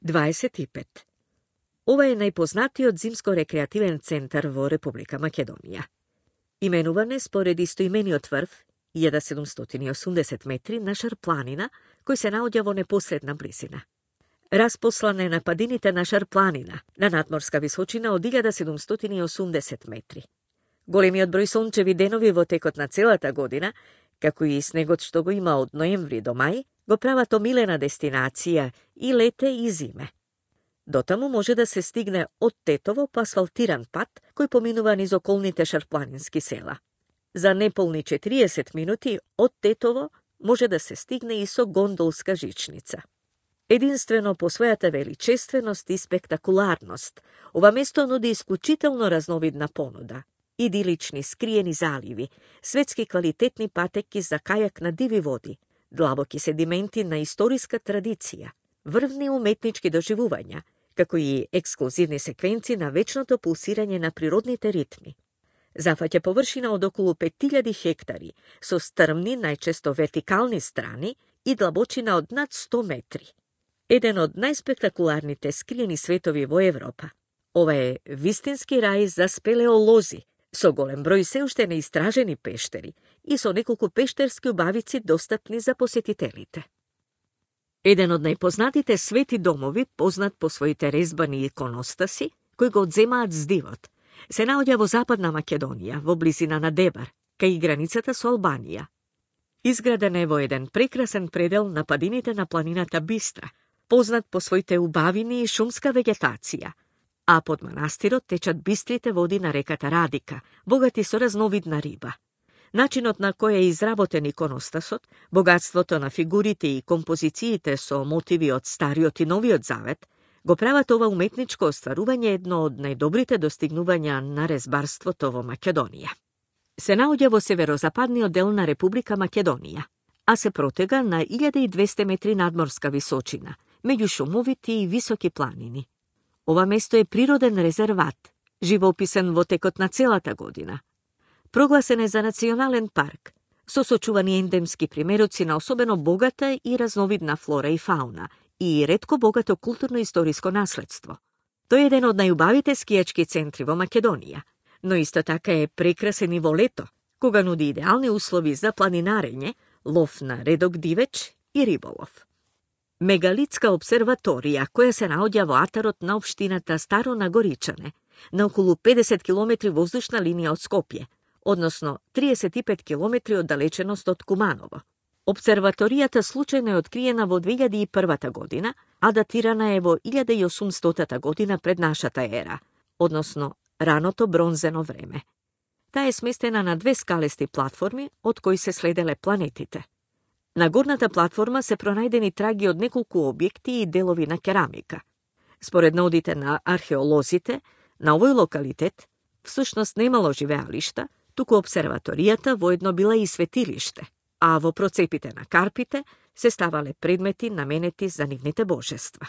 25. Ова е најпознатиот зимско-рекреативен центар во Република Македонија. Именуван е според истоимениот врв, 1780 метри на Шарпланина, кој се наоѓа во непосредна близина. Распослан е на падините на Шарпланина, на надморска височина од 1780 метри. Големиот број сончеви денови во текот на целата година, како и снегот што го има од ноември до мај, го прават омилена дестинација и лете и зиме. Дотаму може да се стигне од Тетово по асфалтиран пат кој поминува низ околните шарпланински села. За неполни 40 минути од Тетово може да се стигне и со гондолска жичница. Единствено по својата величественост и спектакуларност, ова место нуди исклучително разновидна понуда. Идилични скриени заливи, светски квалитетни патеки за кајак на диви води, длабоки седименти на историска традиција, врвни уметнички доживувања, како и ексклузивни секвенци на вечното пулсирање на природните ритми. Зафаќа површина од околу 5000 хектари, со стрмни, најчесто вертикални страни и длабочина од над 100 метри. Еден од најспектакуларните скриени светови во Европа. Ова е вистински рај за спелеолози, со голем број се уште неистражени пештери и со неколку пештерски убавици достапни за посетителите. Еден од најпознатите свети домови, познат по своите резбани иконостаси, кои го одземаат здивот, се наоѓа во Западна Македонија, во близина на Дебар, кај границата со Албанија. Изграден е во еден прекрасен предел на падините на планината Бистра, познат по своите убавини и шумска вегетација, а под манастирот течат бистрите води на реката Радика, богати со разновидна риба. Начинот на кој е изработен иконостасот, богатството на фигурите и композициите со мотиви од Стариот и Новиот Завет, го прават ова уметничко остварување едно од најдобрите достигнувања на резбарството во Македонија. Се наоѓа во северозападниот дел на Република Македонија, а се протега на 1200 метри надморска височина, меѓу шумовити и високи планини. Ова место е природен резерват, живописен во текот на целата година. Прогласен е за национален парк, со сочувани ендемски примероци на особено богата и разновидна флора и фауна и ретко богато културно-историско наследство. Тој е еден од најубавите скијачки центри во Македонија, но исто така е прекрасен и во лето, кога нуди идеални услови за планинарење, лов на редок дивеч и риболов. Мегалитска обсерваторија, која се наоѓа во атарот на општината Старо Нагоричане, на околу 50 км воздушна линија од Скопје, односно 35 км оддалеченост од Куманово. Обсерваторијата случајно е откриена во 2001 година, а датирана е во 1800 година пред нашата ера, односно раното бронзено време. Таа е сместена на две скалести платформи, од кои се следеле планетите. На горната платформа се пронајдени траги од неколку објекти и делови на керамика. Според наудите на археолозите, на овој локалитет всушност немало живеалишта, туку обсерваторијата воедно била и светилиште, а во процепите на карпите се ставале предмети наменети за нивните божества.